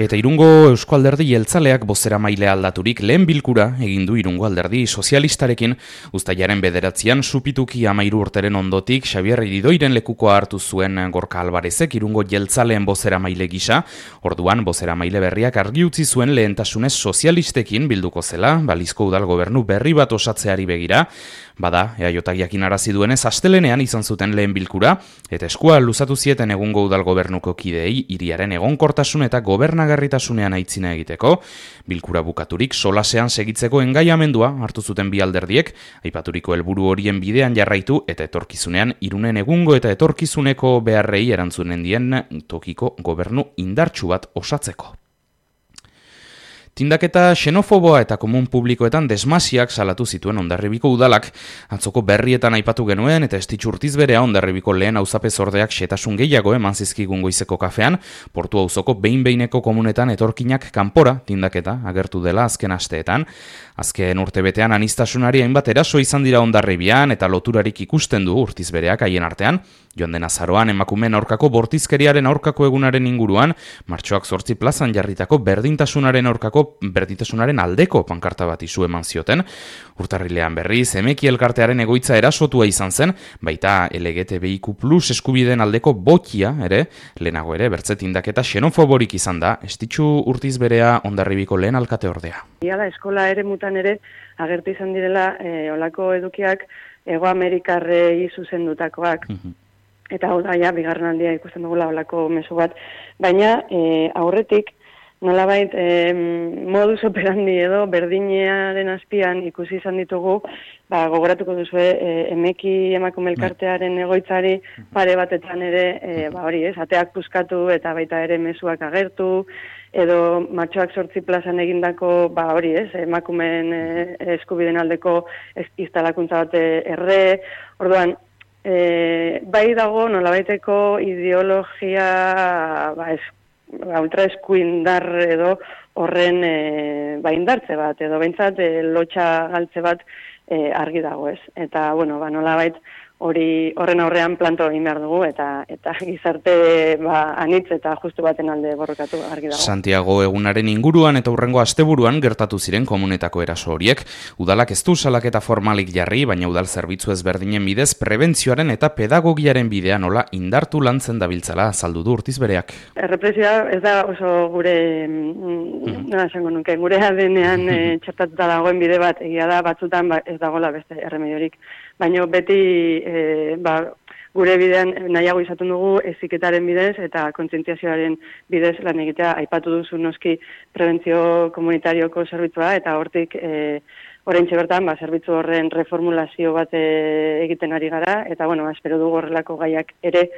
Eta Irungo Eusko Alderdi Jeltzaleak bozeramaile aldaturik lehen bilkura egin du Irungo Alderdi Sozialistarekin. Uztailaren 9an supituki 13 urteren ondotik Xabier Iridoiren lekukoa hartu zuen Gorka Alvarezek Irungo Jeltzaleen bozeramaile gisa. Orduan bozeramaile berriak argi utzi zuen lehentasunez sozialistekin bilduko zela, balizko udal gobernu berri bat osatzeari begira. Bada, EAJak jakinarazi duenez astelenean izan zuten lehen bilkura, eta eskua luzatu zieten egungo udal gobernuko kideei hiriaren egonkortasun eta gobernagarritasunean aitzina egiteko. Bilkura bukaturik solasean segitzeko engaiamendua hartu zuten bi alderdiek, aipaturiko helburu horien bidean jarraitu eta etorkizunean Irunen egungo eta etorkizuneko beharrei erantzunen dien tokiko gobernu indartsu bat osatzeko. Tindaketa xenofoboa eta komun publikoetan desmasiak salatu zituen Hondarribiko udalak. Atzoko berrietan aipatu genuen eta Estitxu Urtizberea Hondarribiko lehen auzapezordeak xehetasun gehiago eman zizkigun goizeko kafean, Portu auzoko behin-behineko komunetan etorkinak kanpora tindaketa agertu dela azken asteetan. Azken urtebetean aniztasunari hainbat eraso izan dira Hondarribian eta loturarik ikusten du Urtizbereak haien artean. Joan den azaroan emakumeen aurkako bortizkeriaren aurkako egunaren inguruan, martxoak 8 plazan jarritako berdintasunaren aldeko pankarta bat izu eman zioten. Urtarrilean berriz, Emeki elkartearen egoitza erasotua izan zen, baita LGTBIQ+ eskubideen aldeko botia ere, lehenago ere, bertzetindaketa xenofoborik izan da, Estitxu Urtizberea Hondarribiko lehen alkateordea. Iala eskola ere mutan ere, agertu izan direla, olako edukiak Ego Amerikarrei zuzendutakoak. Eta hau da, bigarren aldia ikusten dugula olako mezu bat. Baina, aurretik, nolabait, modus operandi edo berdinearen azpian ikusi izan ditugu, gogoratuko duzue, Emeki emakume elkartearen egoitzari pare batetan ere, ateak puskatu eta baita ere mezuak agertu, edo martxoak 8 plazan egindako, emakumeen eskubideen aldeko instalakuntza bat erre, orduan, bai dago nolabaiteko ideologia ultraeskuindar edo horren indartze bat, edo behintzat lotxa galtze bat argi dago ez. Eta, nolabait horren aurrean planto egin behar dugu, eta gizarte anitz eta justu baten alde borrokatu argi dago. Santiago egunaren inguruan eta hurrengo asteburuan gertatu ziren komunetako eraso horiek. Udalak ez du salaketa formalik jarri, baina udal zerbitzu ezberdinen bidez prebentzioaren eta pedagogiaren bidea nola indartu lantzen dabiltzala azaldu du Urtizbereak. Errepresioa ez da oso gure gure ADN-ean txertatuta dagoen bide bat, egia da batzutan ez dagoela beste erremediorik. Baina beti gure bidean nahiago izaten dugu heziketaren bidez eta kontzientziazioaren bidez lan egitea. Aipatu duzu noski prebentzio komunitarioko zerbitzua eta hortik oraintxe bertan zerbitzu horren reformulazio bat egiten ari gara eta espero dugu horrelako gaiak ere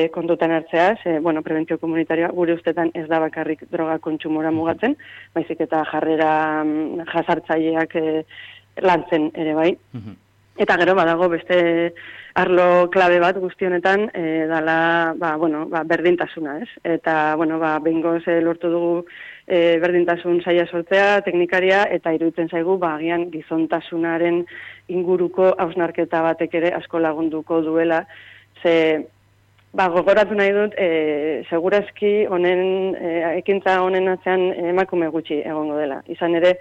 kontutan hartzea, prebentzio komunitarioa gure ustetan ez da bakarrik droga kontsumora mugatzen, baizik eta jarrera jasartzaileak lantzen ere bai. Eta gero badago beste arlo klabe bat guzti honetan dala berdintasuna, ez? Eta behingoz lortu dugu berdintasun saila sortzea, teknikaria, eta iruditzen zaigu agian gizontasunaren inguruko hausnarketa batek ere asko lagunduko duela. Ze gogoratu nahi dut, segurazki ekintza honen atzean emakume gutxi egongo dela. Izan ere,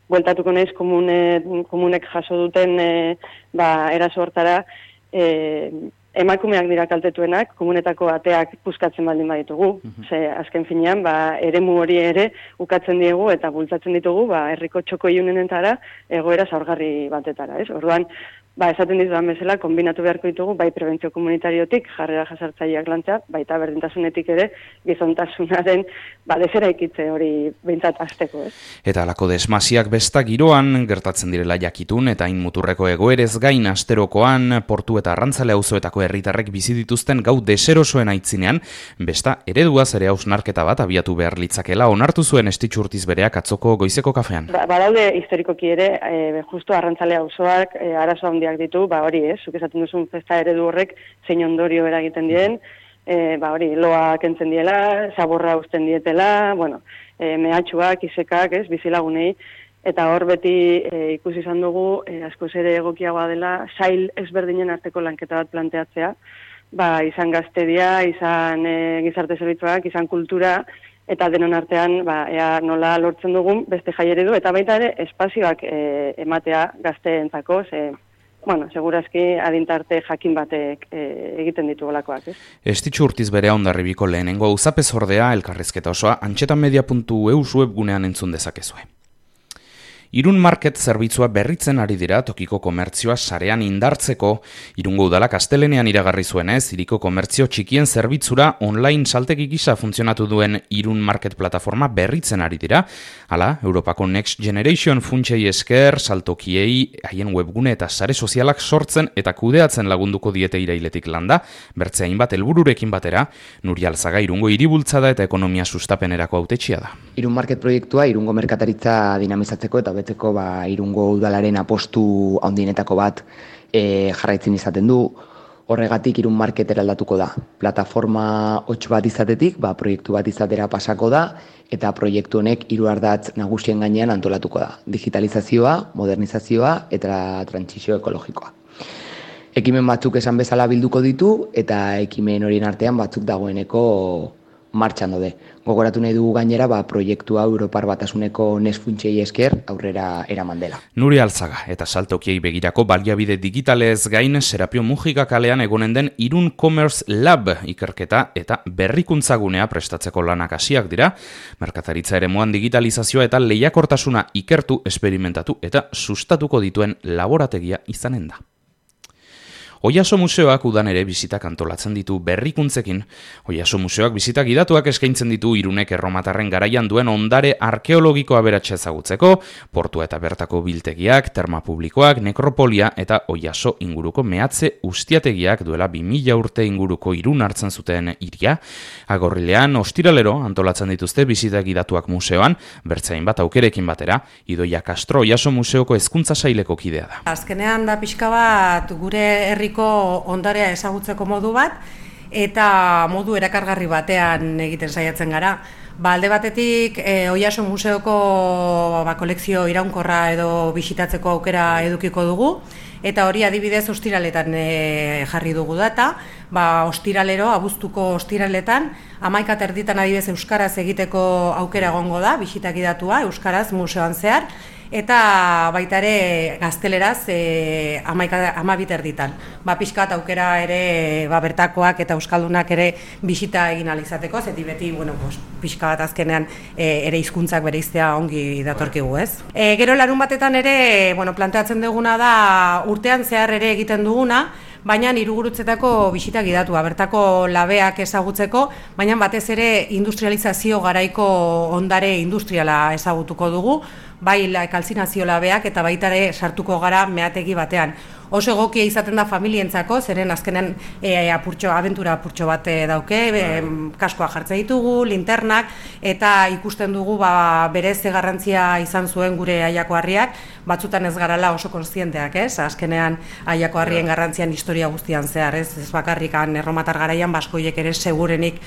bueltatuko naiz komunek jaso duten eraso hortara, emakumeak dira kaltetuenak, komunetako ateak puskatzen baldin baditugu. Azken finean, eremu hori ere ukatzen diegu eta bultzatzen ditugu herriko txoko ilunenetara egoera zaurgarri batetara. Orduan, esaten dizudan bezala, kombinatu beharko ditugu, bai prebentzio komunitariotik, jarrera jasartzaileak lantzea, baita berdintasunetik ere, gizontasunaren desera ikitze hori behintzat azteko, ez? Eta alako desmasiak besta giroan, gertatzen direla jakitun, eta muturreko egoerez gain asterokoan, Portu eta Arrantzale auzoetako herritarrek bizi dituzten gau deserosoen aitzinean, besta ereduaz ere hausnarketa bat abiatu behar litzakela onartu zuen Estitxu Urtizbereak atzoko goizeko kafean. Badaude historikoki ere, justu Arrantzale auzoak arazo handiak ditu, zuk esaten duzun festa eredu horrek zein ondorio eragiten dien, loa kentzen diela, zaborra uzten dietela, mehatxuak, isekak, bizilagunei, eta hor beti ikusi izan dugu, askoz ere egokiagoa dela, sail ezberdinen arteko lanketa bat planteatzea, izan gaztedia, izan gizarte zerbitzuak, izan kultura, eta denon artean ea nola lortzen dugun beste jai eredu, eta baita ere espazioak ematea gazteentzako, segurazki adintarte jakin batek egiten ditugolakoak, ez? Estitxu Urtizberea Hondarribiko lehenengo auzapez ordea elkarrizketa osoa antxetamedia.eu webgunean entzun dezakezue. Irun Market zerbitzua berritzen ari dira tokiko komertzioa sarean indartzeko. Irungo udalak astelenean iragarri zuenez, hiriko komertzio txikien zerbitzura online saltegi gisa funtzionatu duen Irun Market plataforma berritzen ari dira. Hala, Europako Next Generation funtsei esker saltokiei haien webgune eta sare sozialak sortzen eta kudeatzen lagunduko diete irailetik landa, bertzea hainbat helbururekin batera, Nuria Alzaga Irungo hiribultzada eta ekonomia sustapenerako hautetsia da. Irun Market proiektua Irungo merkataritza dinamizatzeko eta beteko Irungo udalaren apostu handienetako bat jarraitzen izaten du. Horregatik Irun Market eraldatuko da. Plataforma hots bat izatetik, proiektu bat izatera pasako da, eta proiektu honek 3 ardatz nagusien gainean antolatuko da. Digitalizazioa, modernizazioa eta trantsizio ekologikoa. Ekimen batzuk esan bezala bilduko ditu, eta ekimen horien artean batzuk dagoeneko martxan daude. Gogoratu nahi dugu gainera, proiektua Europar Batasuneko Next funtsei esker aurrera eraman dela. Nuria Alzaga eta saltokiei begirako baliabide digitalez gain Serapio Mujica kalean egonen den Irun Commerce Lab ikerketa eta berrikuntzagunea prestatzeko lanak hasiak dira. Merkataritza eremuan digitalizazioa eta lehiakortasuna ikertu, esperimentatu eta sustatuko dituen laborategia izanen da. Oiaso Museoak udan ere bizitak antolatzen ditu berrikuntzekin. Oiaso Museoak bizitak gidatuak eskaintzen ditu Irunek erromatarren garaian duen ondare arkeologiko aberatsa ezagutzeko, portua eta bertako biltegiak, terma publikoak, nekropolia eta Oiaso inguruko mehatze ustiategiak duela 2000 urte inguruko Irun hartzen zuten hiria. Agorrilean ostiralero antolatzen dituzte bizitak gidatuak museoan, bertzain bat aukerekin batera, Idoia Castro Oiaso Museoko hezkuntza saileko kidea da. Azkenean da pixka bat gure herri ondarea ezagutzeko modu bat eta modu erakargarri batean egiten saiatzen gara. Alde batetik Oiaso Museoko kolekzio iraunkorra edo bisitatzeko aukera edukiko dugu, eta hori adibidez ostiraletan jarri dugu data. Ostiralero, abuztuko ostiraletan, 11:30 adibidez euskaraz egiteko aukera egongo da, bisitak gidatua euskaraz museoan zehar, eta baita ere gazteleraz 12:30. Pixkat aukera ere bertakoak eta euskaldunak ere bisita egin ahal izateko, zeti beti pixka bat azkenean ere hizkuntzak bereiztea ongi datorkigu, ez? Gero larun batetan ere planteatzen duguna da urtean zehar ere egiten duguna, baina hirugurutzetako bisita gidatua, bertako labeak ezagutzeko, baina batez ere industrializazio garaiko ondare industriala ezagutuko dugu, bai kalzinazio labeak eta baita ere sartuko gara meategi batean. Oso egokia izaten da familientzako, zeren azkenen abentura apurtxo bat dauke, kaskoa jartzen ditugu, linternak, eta ikusten dugu berez garrantzia izan zuen gure Aiako Harriak, batzutan ez garala oso kontzienteak, ez? Azkenean Aiako Harrien garrantzian historia guztian zehar, ez bakarrikan erromatar garaian baskoiek ere segurenik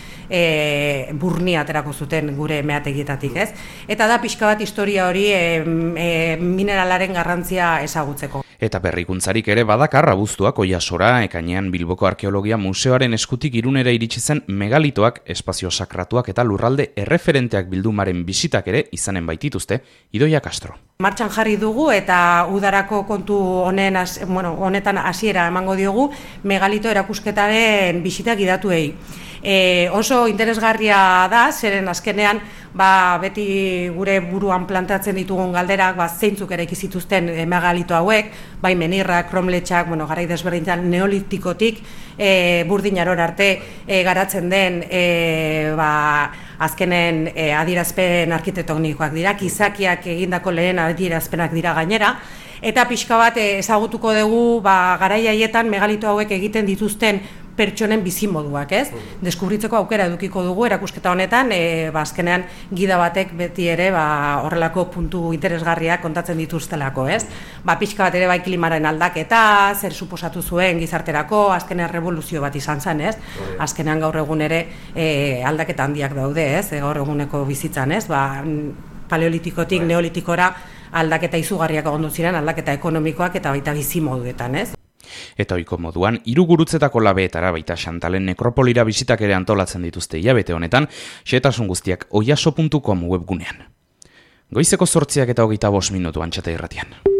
burnia aterako zuten gure meategietatik, ez? Eta da pixka bat historia hori mineralaren garrantzia ezagutzeko. Eta berrikuntzarik ere badakar abuztuak Oiasora, ekainean Bilboko Arkeologia Museoaren eskutik Irunera iritsi zen megalitoak, espazio sakratuak eta lurralde erreferenteak bildumaren bisitak ere izanen baitituzte, Idoia Castro. Martxan jarri dugu eta udarako kontu honetan hasiera emango diogu megalito erakusketaren bisita gidatuei. Oso interesgarria da, zeren azkenean beti gure buruan plantatzen ditugun galderak zeintzuk ere ikizituzten megalito hauek, bai menirrak, kromletxak, garai desberdintan neolitikotik burdinaror arte garatzen den azkenen adierazpen arkitektonikoak dira, gizakiak egindako lehen adierazpenak dira gainera, eta pixka bat ezagutuko dugu garai haietan megalito hauek egiten dituzten pertsonen bizimoduak, ez? Deskubritzeko aukera edukiko dugu erakusketa honetan, azkenean gida batek beti ere horrelako puntu interesgarriak kontatzen dituztelako, ez? Pixka bat ere bai klimaren aldaketa, zer suposatu zuen gizarterako, azkenean revoluzio bat izan zen, ez? Azkenean gaur egun ere aldaketa handiak daude, ez? Gaur eguneko bizitzan, ez? Paleolitikotik neolitikora aldaketa izugarriak egondu ziren, aldaketa ekonomikoak eta baita bizimoduetan, ez? Eta ohiko moduan, 3 gurutzetako labeetara baita Xantalen nekropolira bisitak ere antolatzen dituzte hilabete honetan, xehetasun guztiak oiaso.com webgunean. Goizeko 8:25 minutu Antxeta irratian.